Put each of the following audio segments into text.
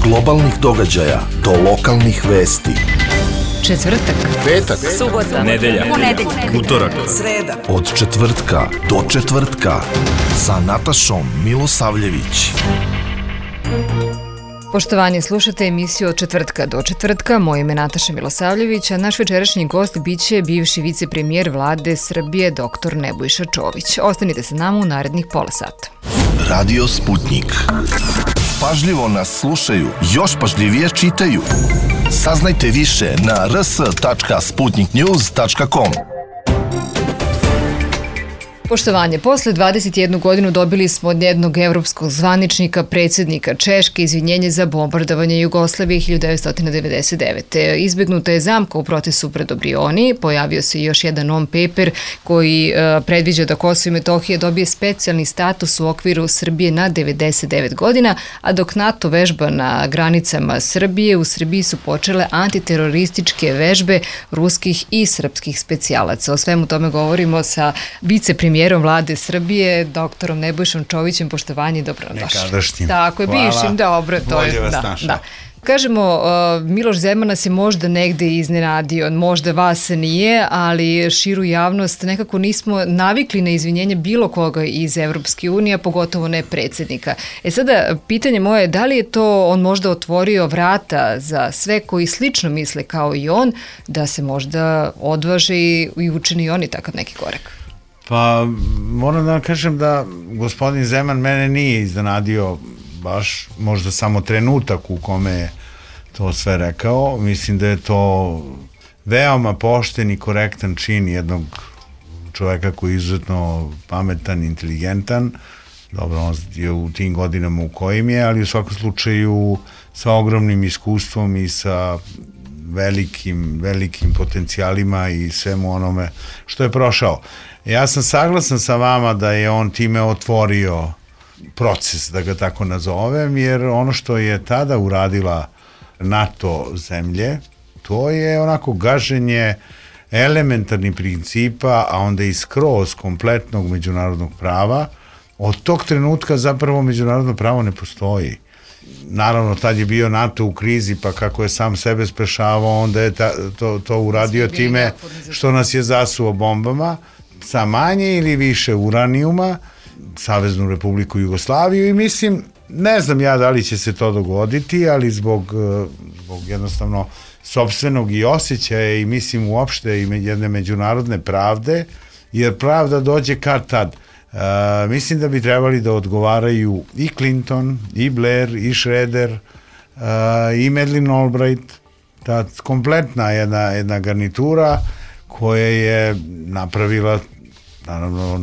globalnih događaja do lokalnih vesti. Četvrtak, Petak, subota, nedelja, utorak, sreda. od četvrtka do četvrtka sa Natašom Milosavljević. Poštovanje, slušate emisiju od četvrtka do četvrtka. Moje ime je Nataša Milosavljević, a naš večerašnji gost biće bivši vicepremijer vlade Srbije dr. Nebojša Čović. Ostanite sa nama u narednih pola sata. Radio Sputnik. Pažljivo nas slušaju, još pažljivije čitaju. Saznajte više na rs.sputniknews.com. Poštovanje, posle 21 godinu dobili smo od jednog evropskog zvaničnika, predsjednika Češke, izvinjenje za bombardovanje Jugoslavije 1999. Izbegnuta je zamka u procesu pred Brioni, pojavio se još jedan non-paper koji predviđa da Kosovo i Metohija dobije specijalni status u okviru Srbije na 99 godina, a dok NATO vežba na granicama Srbije, u Srbiji su počele antiterorističke vežbe ruskih i srpskih specijalaca. O svemu tome govorimo sa vicepremijerom vlade Srbije, doktorom Nebojšom Čovićem. Poštovanje i dobrodošli. Nekadašnjim. Tako je, bivšim, dobro. Bolje vas našao. Da. Kažemo, Miloš Zeman nas je možda negde iznenadio, možda vas nije, ali širu javnost nekako nismo navikli na izvinjenje bilo koga iz Evropske unije, pogotovo ne predsjednika. Sada, pitanje moje je da li je to on možda otvorio vrata za sve koji slično misle kao i on, da se možda odvaže i učini oni takav neki korak? Pa moram da vam kažem da gospodin Zeman mene nije iznenadio baš, možda samo trenutak u kome je to sve rekao. Mislim da je to veoma pošten i korektan čin jednog čoveka koji je izuzetno pametan, inteligentan. Dobro, on je u tim godinama u kojim je, ali u svakom slučaju sa ogromnim iskustvom i sa velikim potencijalima i svemu onome što je prošao. Ja sam saglasan sa vama da je on time otvorio proces, da ga tako nazovem, jer ono što je tada uradila NATO zemlje, to je onako gaženje elementarnih principa, a onda i skroz kompletnog međunarodnog prava. Od tog trenutka zapravo međunarodno pravo ne postoji. Naravno, tad je bio NATO u krizi, pa kako je sam sebe spešavao, onda je to uradio time što nas je zasuo bombama, sa manje ili više uranijuma, Saveznu Republiku Jugoslaviju, i mislim, ne znam ja da li će se to dogoditi, ali zbog jednostavno sopstvenog i osjećaja i mislim uopšte i jedne međunarodne pravde, jer pravda dođe kad tad. Mislim da bi trebali da odgovaraju i Clinton, i Blair, i Schroeder, i Madeleine Albright, ta kompletna jedna garnitura koja je napravila, naravno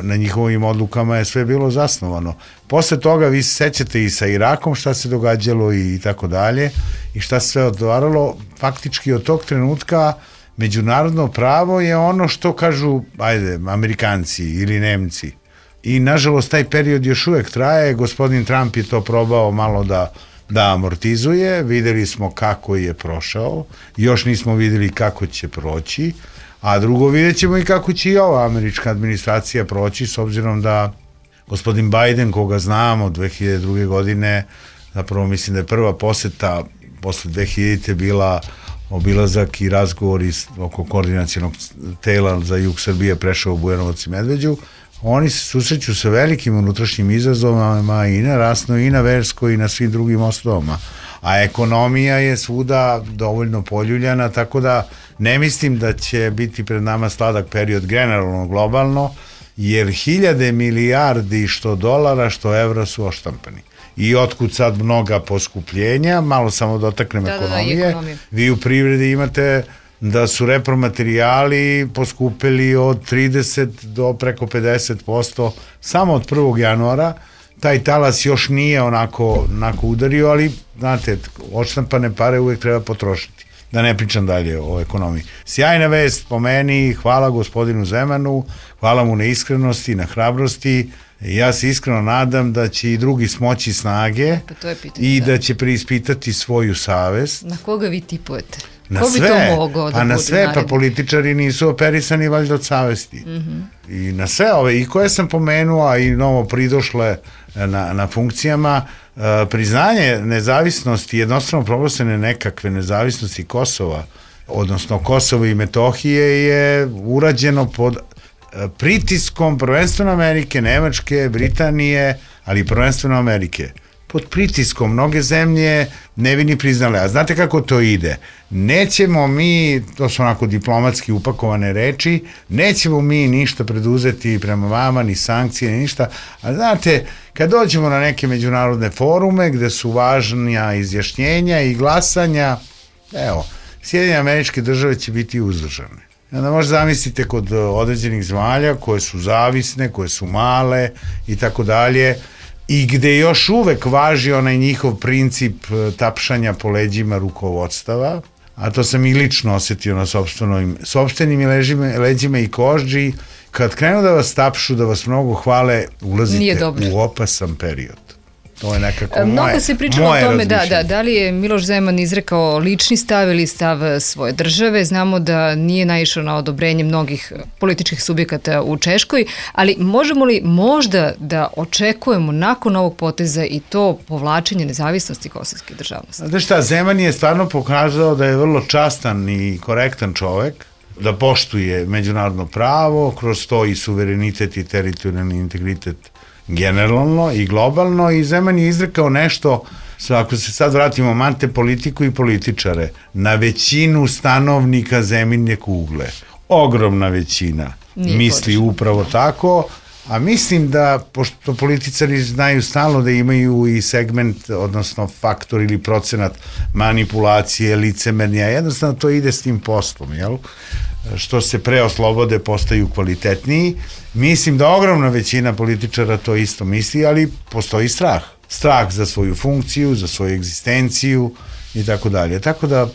na njihovim odlukama je sve bilo zasnovano. Posle toga vi se sećate i sa Irakom šta se događalo i tako dalje i šta se sve odvaralo. Faktički od tog trenutka međunarodno pravo je ono što kažu, Amerikanci ili Nemci. I nažalost taj period još uvek traje. Gospodin Trump je to probao malo da amortizuje. Videli smo kako je prošao. Još nismo videli kako će proći. A drugo, vidjet ćemo i kako će i ova američka administracija proći, s obzirom da gospodin Biden, koga znamo od 2002. godine, zapravo mislim da je prva poseta posle 2000. bila obilazak i razgovor oko koordinacionog tela za jug Srbije, prešao u Bujanovac i Medveđu. Oni se susreću sa velikim unutrašnjim izazovima i na rasnoj, i na verskoj, i na svim drugim osnovama. A ekonomija je svuda dovoljno poljuljana, tako da ne mislim da će biti pred nama sladak period generalno, globalno, jer hiljade milijardi što dolara, što evra su oštampani. I otkud sad mnoga poskupljenja, malo samo dotaknem ekonomije. Vi u privredi imate da su repromaterijali poskupili od 30 do preko 50% samo od 1. januara. Taj talas još nije onako udario, ali znate, odštampane pare uvek treba potrošiti. Da ne pričam dalje o ekonomiji. Sjajna vest po meni, hvala gospodinu Zemanu, hvala mu na iskrenosti, na hrabrosti. Ja se iskreno nadam da će i drugi smoći snage i da će preispitati svoju savest. Na koga vi tipujete? Ko bi to mogao da bude na sve, naredni? pa političari nisu operisani valjda od savesti. I na sve ove, i koje sam pomenuo, a i novo pridošle na funkcijama, priznanje nezavisnosti, jednostavno proglašene nekakve nezavisnosti Kosova, odnosno Kosovo i Metohije je urađeno pod pritiskom prvenstveno Amerike, Nemačke, Britanije, ali prvenstveno Amerike. Pod pritiskom mnoge zemlje ne bi ni priznale. A znate kako to ide? Nećemo mi, to su onako diplomatski upakovane reči, nećemo mi ništa preduzeti prema vama, ni sankcije, ni ništa. A znate, kad dođemo na neke međunarodne forume gde su važnija izjašnjenja i glasanja, evo, Sjedinjene Američke Države će biti uzdržane. Onda možda zamislite kod određenih zemalja koje su zavisne, koje su male i tako dalje, i gde još uvek važi onaj njihov princip tapšanja po leđima rukovodstava, a to sam i lično osetio na sopstvenim leđima i kožđi, kad krenu da vas tapšu, da vas mnogo hvale, ulazite u opasan period. To je nekako mnogo se pričalo o tome da li je Miloš Zeman izrekao lični stav ili stav svoje države. Znamo da nije naišao na odobrenje mnogih političkih subjekata u Češkoj, ali možemo li možda da očekujemo nakon ovog poteza i to povlačenje nezavisnosti kosovske državnosti? Znate šta, Zeman je stvarno pokazao da je vrlo častan i korektan čovek, da poštuje međunarodno pravo, kroz to i suverenitet i teritorijalni integritet generalno i globalno, i Zeman je izrekao nešto, ako se sad vratimo mante politiku i političare, na većinu stanovnika zemljine kugle. Ogromna većina misli upravo tako, a mislim da, pošto političari znaju stalno da imaju i segment, odnosno faktor ili procenat manipulacije, licemerja, jednostavno to ide s tim poslom, jel? Što se pre oslobode postaju kvalitetniji. Mislim da ogromna većina političara to isto misli, ali postoji strah. Strah za svoju funkciju, za svoju egzistenciju i tako dalje. Tako da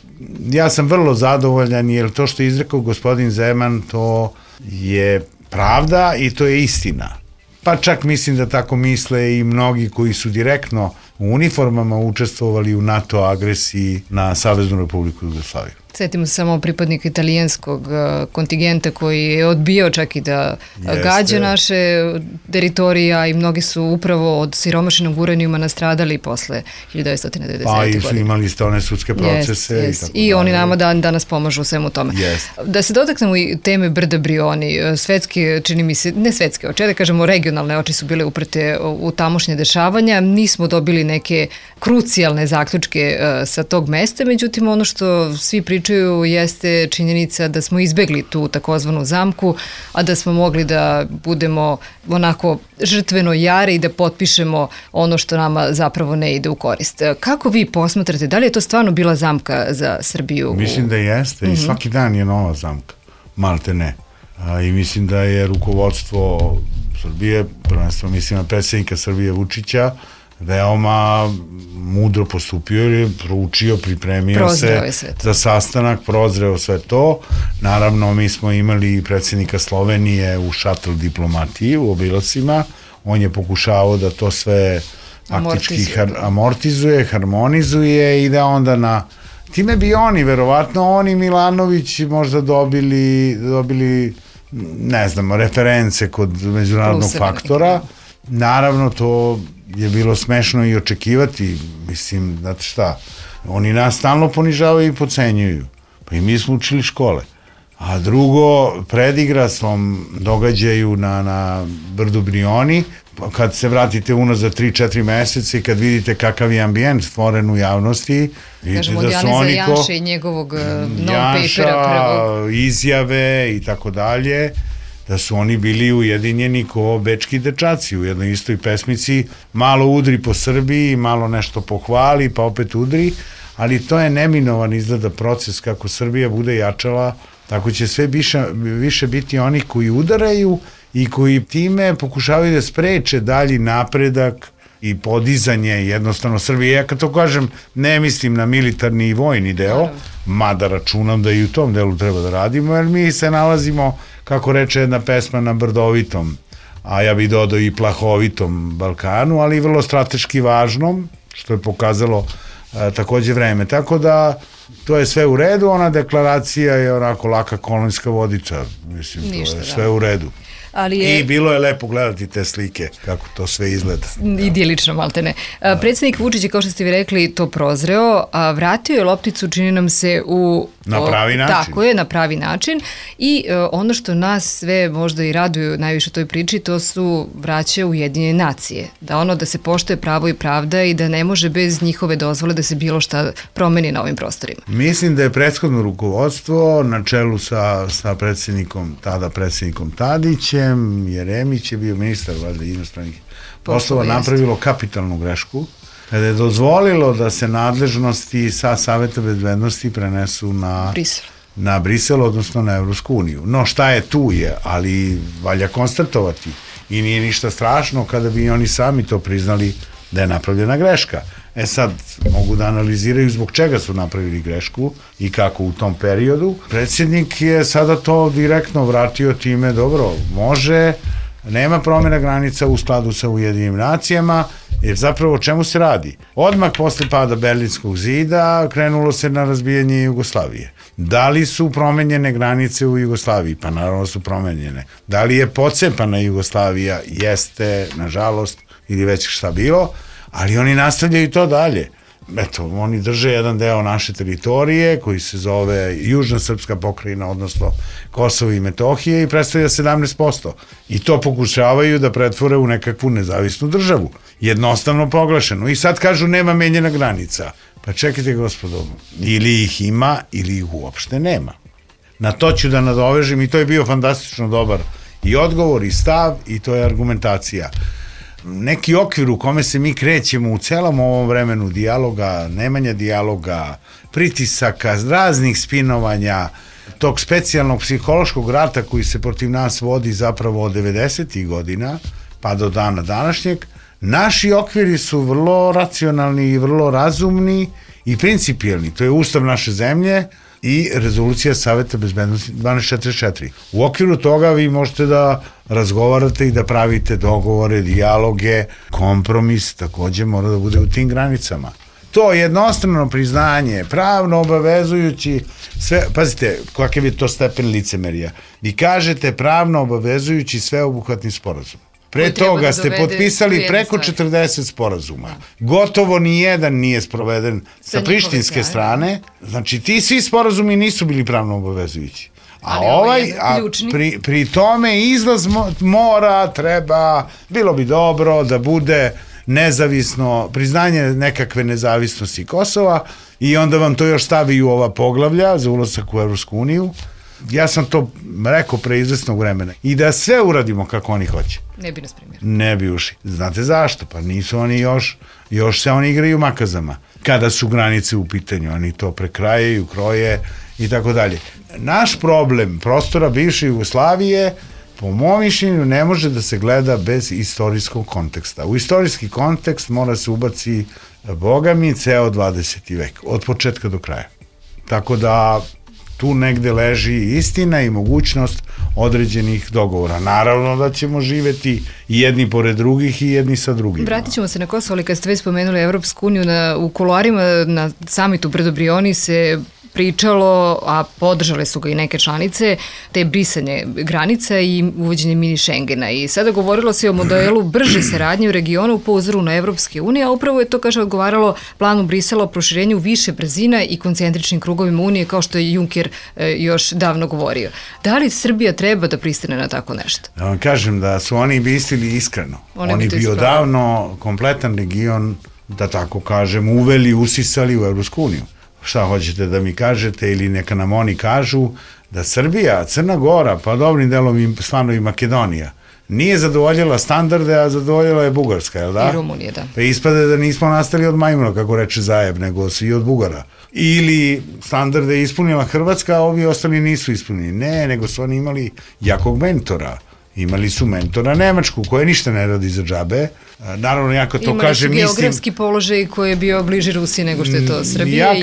ja sam vrlo zadovoljan, jer to što je izrekao gospodin Zeman, to je pravda i to je istina. Pa čak mislim da tako misle i mnogi koji su direktno u uniformama učestvovali u NATO agresiji na Saveznu Republiku Jugoslaviju. Sjetimo se samo pripadnika italijanskog kontingenta koji je odbijao čak i da gađa naše teritorija, i mnogi su upravo od siromašenog uranijuma nastradali posle 1999. godine. Pa i imali ste one sudske procese. I oni nama danas pomažu u svemu tome. Da se dotaknemo i teme Brda Brioni, svetske, čini mi se, ne svetske oči, da kažemo regionalne oči su bile uprte u tamošnje dešavanja, nismo dobili neke krucijalne zaključke sa tog mesta, međutim ono što svi pričaju jeste činjenica da smo izbegli tu takozvanu zamku, a da smo mogli da budemo onako žrtveno jari i da potpišemo ono što nama zapravo ne ide u korist. Kako vi posmatrate, da li je to stvarno bila zamka za Srbiju? Mislim da jeste i svaki dan je nova zamka, malte ne. I mislim da je rukovodstvo Srbije, prvenstveno mislim na predsjednika Srbije Vučića, veoma mudro postupio, jer je proučio, pripremio se za sastanak, prozreo sve to. Naravno, mi smo imali predsjednika Slovenije u šatl diplomatiji, u obilacima. On je pokušavao da to sve faktički amortizuje, harmonizuje i da onda time bi oni, verovatno oni Milanović možda dobili ne znam, reference kod međunarodnog faktora. Naravno, to je bilo smešno i očekivati, mislim, znate šta, oni nas stalno ponižavaju i podcenjuju, pa i mi smo učili škole. A drugo, predigra svom događaju na Brdu Brioni, kad se vratite unazad 3-4 meseca i kad vidite kakav je ambijent stvoren u javnosti, vidite da su oni Janša i njegovog non-papera izjave i tako dalje, da su oni bili ujedinjeni ko bečki dečaci u jednoj istoj pesmici, malo udri po Srbiji, malo nešto pohvali, pa opet udri, ali to je neminovan izgleda proces. Kako Srbija bude jačala, tako će sve više biti onih koji udaraju i koji time pokušavaju da spreče dalji napredak i podizanje jednostavno Srbije. Ja kad to kažem, ne mislim na militarni i vojni deo, mada računam da i u tom delu treba da radimo, jer mi se nalazimo, kako reče jedna pesma, na brdovitom, a ja bih dodao i plahovitom Balkanu, ali i vrlo strateški važnom, što je pokazalo takođe vreme. Tako da to je sve u redu, ona deklaracija je onako laka kolonijska vodica, mislim, Ništa, to je sve u redu. I bilo je lepo gledati te slike, kako to sve izgleda. Idilično, maltene. Predsjednik Vučić je, kao što ste vi rekli, to prozreo, a vratio je lopticu, čini nam se, na pravi način. Tako je, na pravi način. I ono što nas sve možda i raduju najviše u toj priči, to su vraća Ujedinjene nacije. Da se poštuje pravo i pravda i da ne može bez njihove dozvole da se bilo šta promeni na ovim prostorima. Mislim da je prethodno rukovodstvo na čelu sa predsjednikom Tadićem, Jeremić je bio ministar valjda inostranih poslova, napravilo kapitalnu grešku kada je dozvolilo da se nadležnosti sa Saveta bezbednosti prenesu na Brisel, odnosno na Evropsku uniju. No šta je tu je, ali valja konstatovati i nije ništa strašno kada bi oni sami to priznali da je napravljena greška. Sad mogu da analiziraju zbog čega su napravili grešku i kako u tom periodu. Predsjednik je sada to direktno vratio time, dobro, može, nema promjena granica u skladu sa Ujedinjenim nacijama, jer zapravo o čemu se radi? Odmah posle pada Berlinskog zida krenulo se na razbijanje Jugoslavije. Da li su promenjene granice u Jugoslaviji? Pa naravno su promenjene. Da li je pocepana Jugoslavija? Jeste, nažalost, ili već šta bilo, ali oni nastavljaju to dalje. Eto, oni drže jedan deo naše teritorije koji se zove Južna srpska pokrajina, odnosno Kosovo i Metohije, i predstavlja 17%. I to pokušavaju da pretvore u nekakvu nezavisnu državu. Jednostavno proglašenu. I sad kažu nema menjena granica. Pa čekajte, gospodo, ili ih ima ili ih uopšte nema. Na to ću da nadovežem i to je bio fantastično dobar i odgovor i stav i to je argumentacija. Neki okvir u kome se mi krećemo u celom ovom vremenu dijaloga, nemanja dijaloga, pritisaka, raznih spinovanja, tog specijalnog psihološkog rata koji se protiv nas vodi zapravo od 90. godina pa do dana današnjeg, naši okviri su vrlo racionalni i vrlo razumni i principijelni. To je ustav naše zemlje i rezolucija Saveta bezbednosti 1244. U okviru toga vi možete da razgovarate i da pravite dogovore, dijaloge, kompromis takođe mora da bude u tim granicama. To jednostrano priznanje, pravno obavezujući sve, pazite, kakav je to stepen licemerija. Vi kažete pravno obavezujući sveobuhvatni sporazum. Pre toga ste potpisali preko 40 sporazuma. Gotovo nijedan nije sproveden sa prištinske strane. Znači, ti svi sporazumi nisu bili pravno obavezujući. A pri tome izlaz mora, treba, bilo bi dobro da bude nezavisno, priznanje nekakve nezavisnosti Kosova i onda vam to još stavi u ova poglavlja za ulazak u Evropsku uniju. Ja sam to rekao pre izvesnog vremena. I da sve uradimo kako oni hoće. Ne bi nas primjer. Ne bi ušli. Znate zašto? Pa nisu oni još se oni igraju makazama. Kada su granice u pitanju, oni to prekrajaju, kroje i tako dalje. Naš problem prostora bivše Jugoslavije, po mom mišljenju, ne može da se gleda bez istorijskog konteksta. U istorijski kontekst mora se ubaci, boga mi, ceo 20. vek. Od početka do kraja. Tako da tu negde leži istina i mogućnost određenih dogovora. Naravno da ćemo živeti i jedni pored drugih i jedni sa drugima. Vratit ćemo se na Kosovo, ali kad ste već spomenuli Evropsku uniju, u kuloarima na samitu pred Brioni se pričalo, a podržale su ga i neke članice, te brisanje granica i uvođenje mini Schengena. I sada govorilo se o modelu brže saradnje u regionu po uzoru na Evropske unije, a upravo je to, kaže, odgovaralo planu Brisela o proširenju više brzina i koncentričnim krugovima unije, kao što je Juncker još davno govorio. Da li Srbija treba da pristane na tako nešto? Da vam kažem da su oni mislili iskreno. Oni bi odavno kompletan region, da tako kažem, uveli, usisali u Evropsku uniju. Šta hoćete da mi kažete ili neka nam oni kažu da Srbija, Crna Gora, pa dobrim delom stvarno i Makedonija, nije zadovoljila standarde, a zadovoljila je Bugarska, je li da? I Rumunija, da. Pa ispade da nismo nastali od majmuna, kako reče Zajeb, nego svi od Bugara. Ili standarde je ispunila Hrvatska, a ovi ostali nisu ispunili. Ne, nego su oni imali jakog mentora. Imali su mentora Nemačku, koja ništa ne radi za džabe. Naravno, ja kad to kažem, mislim... Imali su geografski položaj koji je bio bliži Rusiji nego što je to Srbija. Ja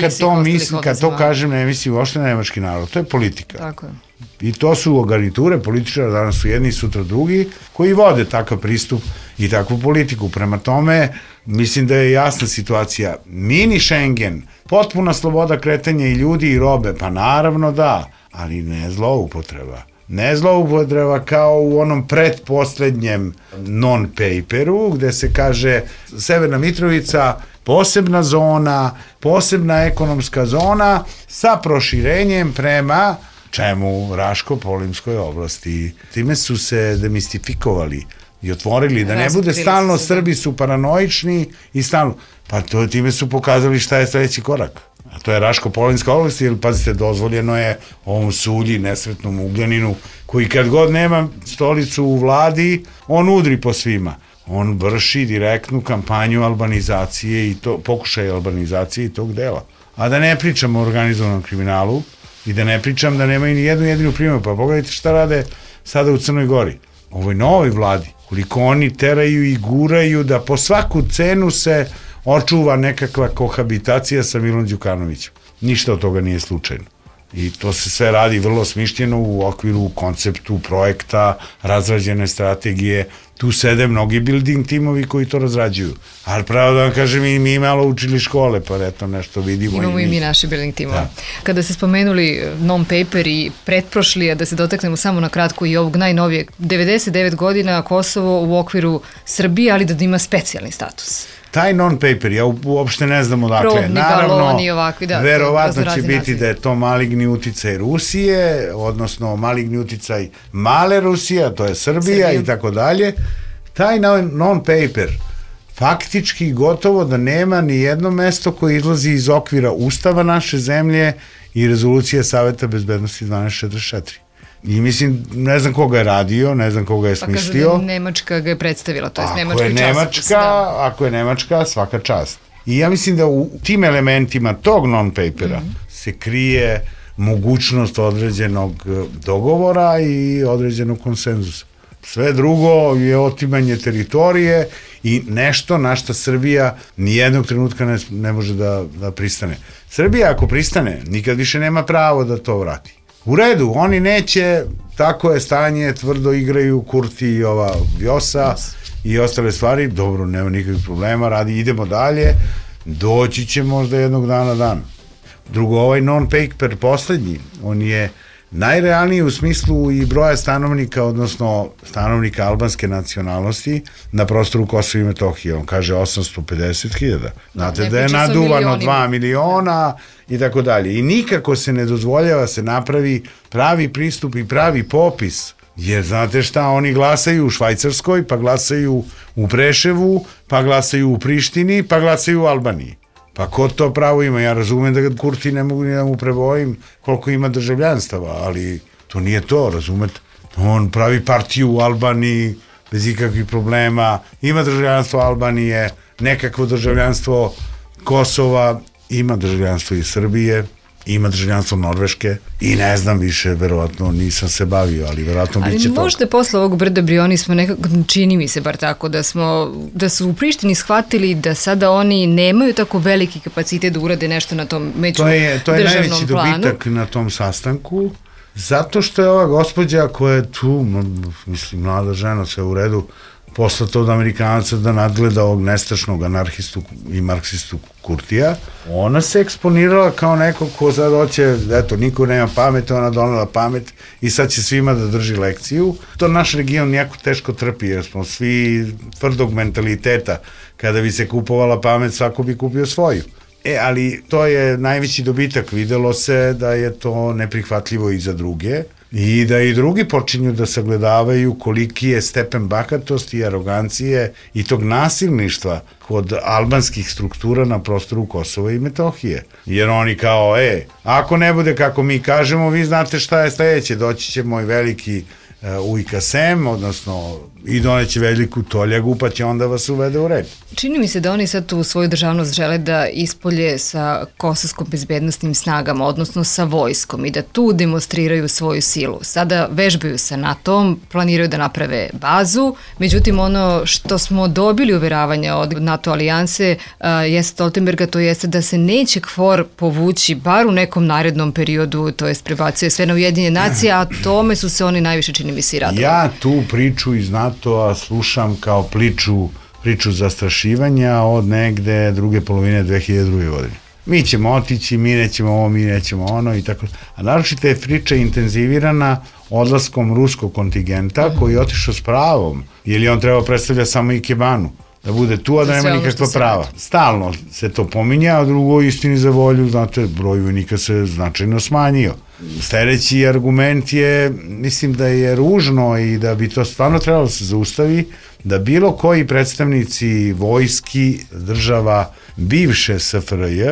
kad to kažem, ne mislim uopšte na nemački narod. To je politika. Tako je. I to su garniture političara, danas su jedni, sutra drugi, koji vode takav pristup i takvu politiku. Prema tome, mislim da je jasna situacija. Mini Schengen, potpuna sloboda kretanja i ljudi i robe, pa naravno da, ali ne zloupotreba. Ne zloupotreba kao u onom pretposlednjem non-paperu, gde se kaže Severna Mitrovica, posebna zona, posebna ekonomska zona sa proširenjem prema čemu Raško-Polimskoj oblasti. Time su se demistifikovali i otvorili, da ne bude stalno Srbi su paranoični i stalno, pa time su pokazali šta je sledeći korak. A to je Raško-Polimska oblast, jer pazite, dozvoljeno je ovom Sulji, nesretnom Ugljaninu, koji kad god nema stolicu u vladi, on udri po svima. On vrši direktnu kampanju albanizacije i to, pokušaj albanizacije i tog dela. A da ne pričam o organizovanom kriminalu i da ne pričam da nemaju ni jednu jedinu primjer, pa pogledajte šta rade sada u Crnoj Gori. Ovoj novoj vladi, koliko oni teraju i guraju da po svaku cenu se očuva nekakva kohabitacija sa Milom Đukanovićem. Ništa od toga nije slučajno. I to se sve radi vrlo smišljeno u okviru konceptu projekta, razrađene strategije. Tu sede mnogi building timovi koji to razrađuju. Ali pravo da vam kažem, mi malo učili škole, pa eto nešto vidimo. Imamo i mi naše building timove. Da. Kada ste spomenuli non-paper i pretprošli, a da se dotaknemo samo na kratko i ovog najnovijeg, 99 godina Kosovo u okviru Srbije, ali da ima specijalni status. Taj non-paper, ja uopšte ne znam odakle. Naravno, verovatno će biti da je to maligni uticaj Rusije, odnosno maligni uticaj male Rusije, a to je Srbija i tako dalje. Taj non-paper faktički gotovo da nema ni jedno mesto koje izlazi iz okvira Ustava naše zemlje i rezolucije Saveta bezbednosti 1244. I mislim, ne znam koga je radio, ne znam koga je smislio. Pa kažu da Nemačka ga je predstavila, to je Nemački časopis. Ako je Nemačka, svaka čast. I ja mislim da u tim elementima tog non-papera se krije mogućnost određenog dogovora i određenog konsenzusa. Sve drugo je otimanje teritorije i nešto na što Srbija nijednog trenutka ne može da pristane. Srbija ako pristane, nikad više nema pravo da to vrati. U redu, oni neće, tako je stanje, tvrdo igraju Kurti i ova Vjosa i ostale stvari, dobro, nema nikakvih problema, idemo dalje, doći će možda jednog dana dan. Drugo, ovaj non-paper poslednji, on je najrealniji u smislu i broja stanovnika, odnosno stanovnika albanske nacionalnosti na prostoru Kosova i Metohije. On kaže 850.000. Znate da je naduvano 2 miliona i tako dalje. I nikako se ne dozvoljava se napravi pravi pristup i pravi popis. Jer znate šta, oni glasaju u Švajcarskoj, pa glasaju u Preševu, pa glasaju u Prištini, pa glasaju u Albaniji. Pa ko to pravo ima? Ja razumem da Kurti ne mogu ni da mu prebojim koliko ima državljanstava, ali to nije to, razumete? On pravi partiju u Albaniji bez ikakvih problema, ima državljanstvo Albanije, nekakvo državljanstvo Kosova, ima državljanstvo i Srbije, ima državljanstvo Norveške i ne znam više, verovatno nisam se bavio, ali verovatno biće to. Ali možda posle ovog Brda Brioni smo nekako, čini mi se bar tako, da su u Prištini shvatili da sada oni nemaju tako veliki kapacitet da urade nešto na tom međudržavnom planu. To je najveći dobitak na tom sastanku, zato što je ova gospođa koja je tu, mislim, mlada žena, sve u redu, poslato od Amerikanaca da nadgleda ovog nestašnog anarhistu i marksistu Kurtija. Ona se eksponirala kao neko ko sad hoće, eto, niko nema pamet, ona donela pamet i sad će svima da drži lekciju. To naš region jako teško trpi, jer smo svi tvrdog mentaliteta. Kada bi se kupovala pamet, svako bi kupio svoju. Ali to je najveći dobitak. Videlo se da je to neprihvatljivo i za druge. I da i drugi počinju da sagledavaju koliki je stepen bahatosti i arogancije i tog nasilništva kod albanskih struktura na prostoru Kosova i Metohije. Jer oni kao, ako ne bude kako mi kažemo, vi znate šta je sledeće, doći će moj veliki Ujka Sem, odnosno i doneće veliku toljagu, pa će onda vas uvede u red. Čini mi se da oni sad tu svoju državnost žele da ispolje sa kosovskom bezbednostnim snagama, odnosno sa vojskom i da tu demonstriraju svoju silu. Sada vežbaju sa NATO-om, planiraju da naprave bazu, međutim ono što smo dobili uveravanja od NATO alijanse jeste Stoltenberga, to jeste da se neće KFOR povući bar u nekom narednom periodu, to jest prebacuje sve na Ujedinjene nacije, a tome su se oni najviše čini mi se i radovali. Ja tu priču iz NATO-a slušam kao priču priču zastrašivanja od negde druge polovine 2002. godine. Mi ćemo otići, mi nećemo ovo, mi nećemo ono i tako. A naročito je priča intenzivirana odlaskom ruskog kontingenta koji je otišao s pravom, jer je on trebao predstavlja samo Ikebanu, da bude tu, a da nema nikakva prava. Stalno se to pominja, a drugo, istini za volju, znate, broj vojnika se značajno smanjio. Sledeći argument je, mislim da je ružno i da bi to stvarno trebalo se zaustavi, da bilo koji predstavnici vojski država bivše SFRJ,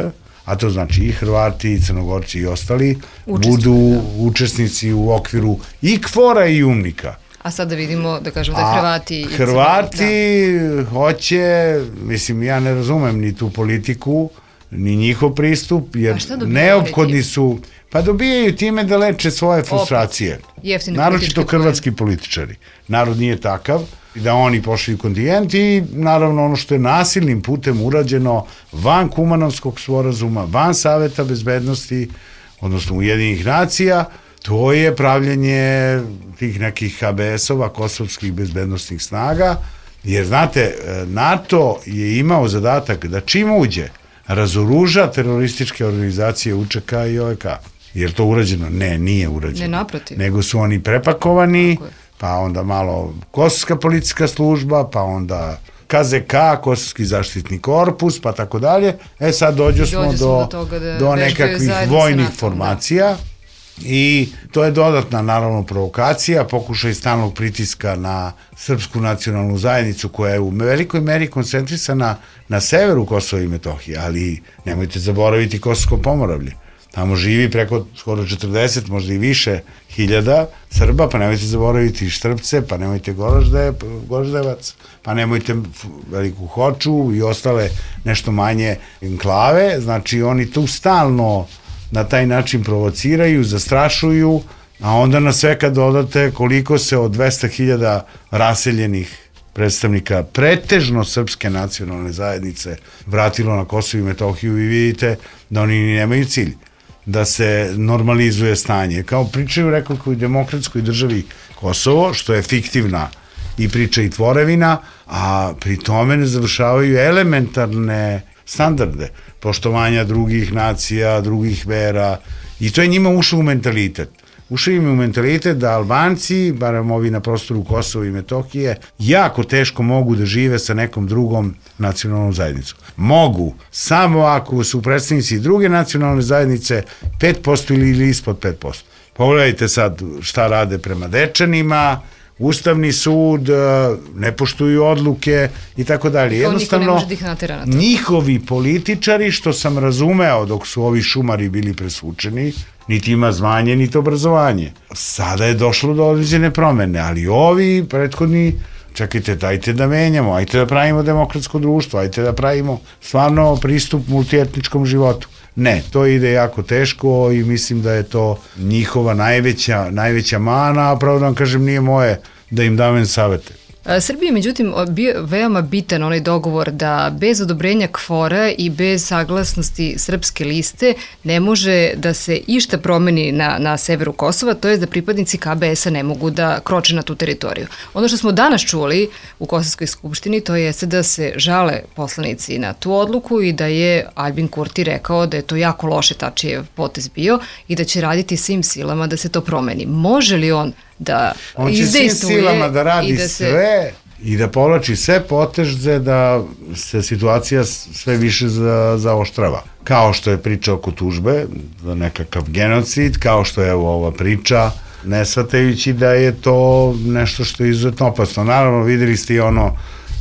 a to znači i Hrvati, i Crnogorci i ostali, budu učesnici u okviru i KFOR-a i UNMIK-a. A sad da vidimo, da kažemo da Hrvati... Hrvati hoće, mislim, ja ne razumem ni tu politiku, ni njihov pristup, jer neophodni su... Pa dobijaju time da leče svoje frustracije. Naročito hrvatski političari. Narod nije takav, da oni pošli kontingent i naravno ono što je nasilnim putem urađeno van Kumanovskog sporazuma, van Saveta bezbednosti, odnosno Ujedinjenih nacija, to je pravljenje tih nekih HBS-ova, kosovskih bezbednostnih snaga, jer znate, NATO je imao zadatak da čim uđe, razoruža terorističke organizacije UČK i OVK. Je li to urađeno? Ne, nije urađeno. Ne, naprotiv. Nego su oni prepakovani, pa onda malo Kosovska policijska služba, pa onda KZK, Kosovski zaštitni korpus, pa tako dalje. Sad dođemo do nekakvih vojnih formacija i to je dodatna, naravno, provokacija, pokušaj stalnog pritiska na srpsku nacionalnu zajednicu koja je u velikoj meri koncentrisana na severu Kosova i Metohije, ali nemojte zaboraviti Kosovsko Pomoravlje. Tamo živi preko skoro 40, možda i više hiljada Srba, pa nemojte zaboraviti Štrpce, pa nemojte Goraždevac, pa nemojte Veliku Hoču i ostale nešto manje enklave. Znači oni tu stalno na taj način provociraju, zastrašuju, a onda na sve kad dodate koliko se od 200.000 raseljenih predstavnika pretežno srpske nacionalne zajednice vratilo na Kosovo i Metohiju i vidite da oni nemaju cilj da se normalizuje stanje. Kao pričaju, rekao, u demokratskoj državi Kosovo, što je fiktivna i priča i tvorevina, a pri tome ne završavaju elementarne standarde poštovanja drugih nacija, drugih vera, i to je njima ušlo u mentalitet. Ušli im u mentalitet da Albanci, barem ovi na prostoru Kosova i Metohije, jako teško mogu da žive sa nekom drugom nacionalnom zajednicom. Mogu, samo ako su predstavnici druge nacionalne zajednice 5% ili ispod 5%. Pogledajte sad šta rade prema Dečanima, Ustavni sud, ne poštuju odluke i tako dalje. Jednostavno, njihovi političari, što sam razumeo dok su ovi šumari bili presvučeni, niti ima zvanje, niti obrazovanje. Sada je došlo do određene promene, ali ovi prethodni, čekajte, dajte da menjamo, ajte da pravimo demokratsko društvo, ajte da pravimo stvarno pristup multietničkom životu. Ne, to ide jako teško i mislim da je to njihova najveća mana, a pravo da vam kažem, nije moje da im davam savete. Srbiji, međutim, bio veoma bitan onaj dogovor da bez odobrenja KFOR-a i bez saglasnosti srpske liste ne može da se išta promeni na severu Kosova, to je da pripadnici KBS-a ne mogu da kroče na tu teritoriju. Ono što smo danas čuli u Kosovskoj skupštini, to jeste da se žale poslanici na tu odluku i da je Aljbin Kurti rekao da je to jako loše Tačijev potez bio i da će raditi svim silama da se to promeni. Može li on da izdejstvuje? On će svim silama da radi sve i da povlači sve poteze da se situacija sve više zaoštrava. Kao što je priča oko tužbe za nekakav genocid, kao što je ova priča, ne shvatajući da je to nešto što je izuzetno opasno. Naravno, videli ste i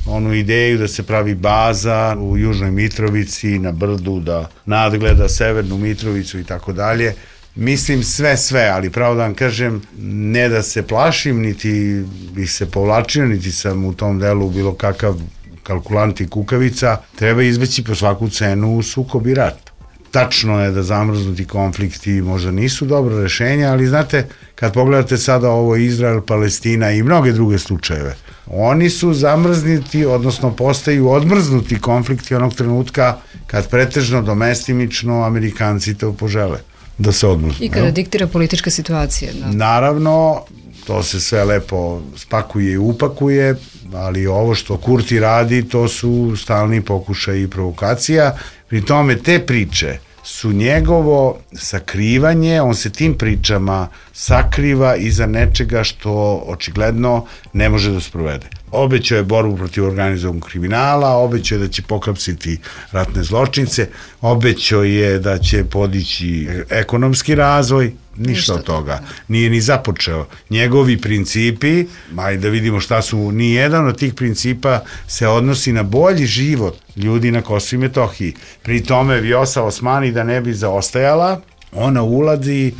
onu ideju da se pravi baza u Južnoj Mitrovici, na brdu, da nadgleda Severnu Mitrovicu i tako dalje. Mislim sve, ali pravo da vam kažem, ne da se plašim, niti bih se povlačio, niti sam u tom delu bilo kakav kalkulant i kukavica, treba izbeći po svaku cenu sukob i rat. Tačno je da zamrznuti konflikti možda nisu dobro rešenje, ali znate, kad pogledate sada ovo Izrael, Palestina i mnoge druge slučajeve, oni su zamrznuti, odnosno postaju odmrznuti konflikti onog trenutka kad pretežno domestimično Amerikanci to požele da se odmrznu. I kada diktira politička situacija. Da. Naravno, to se sve lepo spakuje i upakuje, ali ovo što Kurti radi, to su stalni pokušaj i provokacija. Pri tome te priče su njegovo sakrivanje, on se tim pričama sakriva iza nečega što očigledno ne može da sprovede. Obećao je borbu protiv organizovanog kriminala, obećao je da će pohapsiti ratne zločince, obećao je da će podići ekonomski razvoj, ništa od toga. Nije ni započeo. Njegovi principi, ajde da vidimo šta su, ni jedan od tih principa se odnosi na bolji život ljudi na Kosovu i Metohiji. Pri tome Vjosa Osmani, da ne bi zaostajala, ona ulazi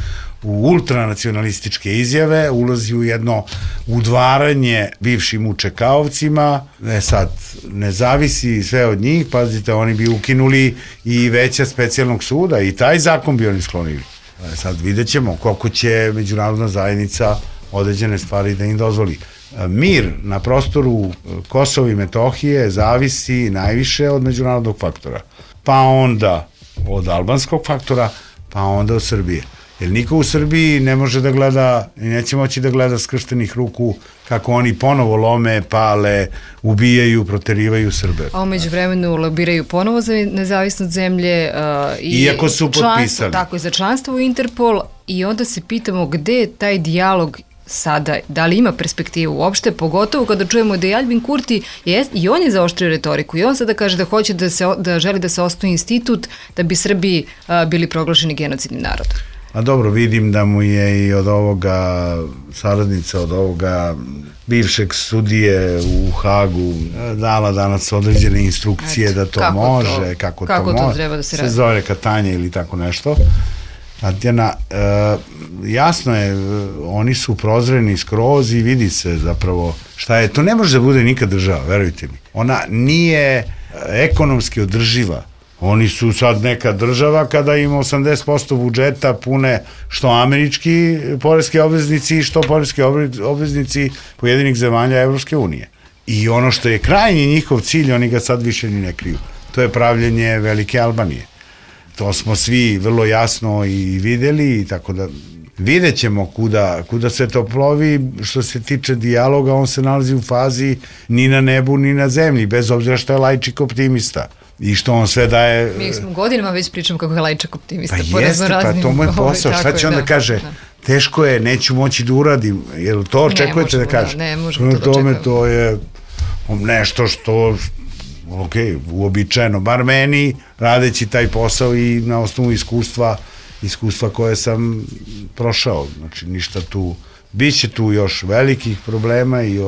u ultranacionalističke izjave, ulazi u jedno udvaranje bivšim učekaovcima, sad ne zavisi sve od njih, pazite, oni bi ukinuli i veća specijalnog suda i taj zakon bi oni sklonili. Sad vidjet ćemo koliko će međunarodna zajednica određene stvari da im dozvoli. Mir na prostoru Kosova i Metohije zavisi najviše od međunarodnog faktora, pa onda od albanskog faktora, pa onda od Srbije. Jer niko u Srbiji ne može da gleda i neće moći da gleda skrštenih ruku kako oni ponovo lome, pale, ubijaju, proterivaju Srbe. A umeđu vremenu lobiraju ponovo za nezavisnost zemlje i iako su potpisali. Tako je, za članstvo u Interpol i onda se pitamo gde je taj dijalog sada, da li ima perspektivu uopšte, pogotovo kada čujemo da je Aljbin Kurti i on je zaoštrio retoriku i on sada kaže da hoće da želi da se osnuje institut da bi Srbi bili proglašeni genocidnim narodom. A dobro, vidim da mu je i od ovoga saradnica, od ovoga bivšeg sudije u Hagu dala danas određene instrukcije da to može, kako to može, treba da se radi. Se zove katanje ili tako nešto. Tatjana, jasno je, oni su prozreni skroz i vidi se zapravo šta je. To ne može da bude nikad država, verujte mi. Ona nije ekonomski održiva. Oni su sad neka država kada ima 80% budžeta pune što američki poreski obveznici i što poreski obveznici pojedinih zemalja Evropske unije. I ono što je krajnji njihov cilj, oni ga sad više ni ne kriju. To je pravljenje Velike Albanije. To smo svi vrlo jasno i videli, tako da vidjet ćemo kuda se to plovi. Što se tiče dijaloga, on se nalazi u fazi ni na nebu ni na zemlji, bez obzira što je laičik optimista. I što on sve daje... Mi smo godinama već pričamo kako je laičak optimista. Pa jeste, pa to mu je posao. Šta će onda kaže? Teško je, neću moći da uradim. Jel to očekujete da kaže? Ne, možemo to da očekujemo. To je nešto što... ok, uobičajeno, bar meni, radeći taj posao i na osnovu iskustva koje sam prošao. Znači, ništa tu... Biće tu još velikih problema i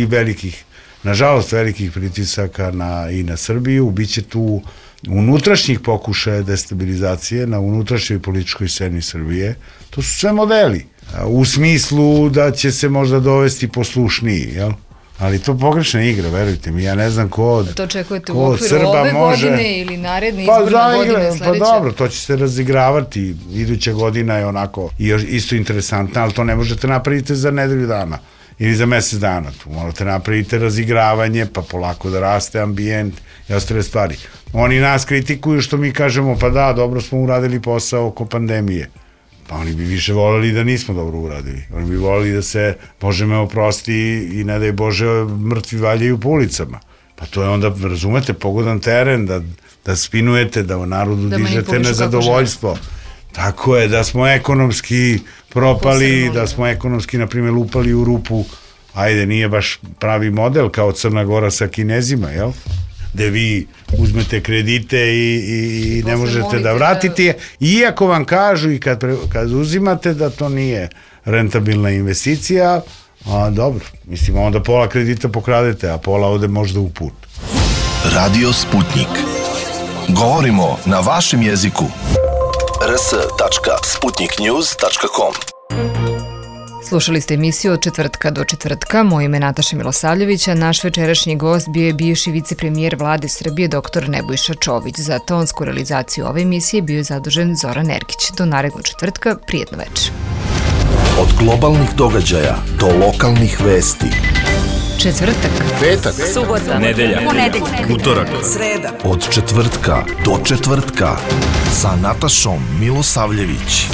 velikih, nažalost, velikih pritisaka i na Srbiju. Biće tu unutrašnjih pokušaja destabilizacije na unutrašnjoj političkoj sceni Srbije. To su sve modeli. U smislu da će se možda dovesti poslušniji, jel? Ali to pogrešna igra, verujte mi, ja ne znam ko od Srba može... To očekujete u okviru ove godine ili naredne izborne godine sledeće? Pa dobro, to će se razigravati, iduća godina je onako isto interesantna, ali to ne možete napraviti za nedelju dana ili za mesec dana, tu morate napraviti razigravanje, pa polako da raste ambijent i ostale stvari. Oni nas kritikuju što mi kažemo, pa da, dobro smo uradili posao oko pandemije. Pa oni bi više voleli da nismo dobro uradili. Oni bi voleli da se, Bože me oprosti i ne daj Bože, mrtvi valjaju po ulicama. Pa to je onda, razumete, pogodan teren da spinujete, da u narodu dižete nezadovoljstvo. Tako je, da smo ekonomski propali, da smo ekonomski, na primjer, lupali u rupu, ajde, nije baš pravi model kao Crna Gora sa Kinezima, jel? Gde vi uzmete kredite i ne možete da vratite, iako vam kažu i kad uzimate da to nije rentabilna investicija, a dobro, mislim, onda pola kredita pokradete, a pola ode možda u put. Radio Sputnik. Govorimo na vašem jeziku. rs.sputniknews.com. Slušali ste emisiju od četvrtka do četvrtka. Moje ime je Nataša Milosavljević, a naš večerašnji gost bio je bivši vicepremijer vlade Srbije dr. Nebojša Čović. Za tonsku realizaciju ove emisije bio je zadužen Zoran Ergić. Do narednog četvrtka, prijetno večer. Od globalnih događaja do lokalnih vesti. Četvrtak, petak, subota, nedelja, ponedeljak, utorak, sreda. Od četvrtka do četvrtka sa Natašom Milosavljević.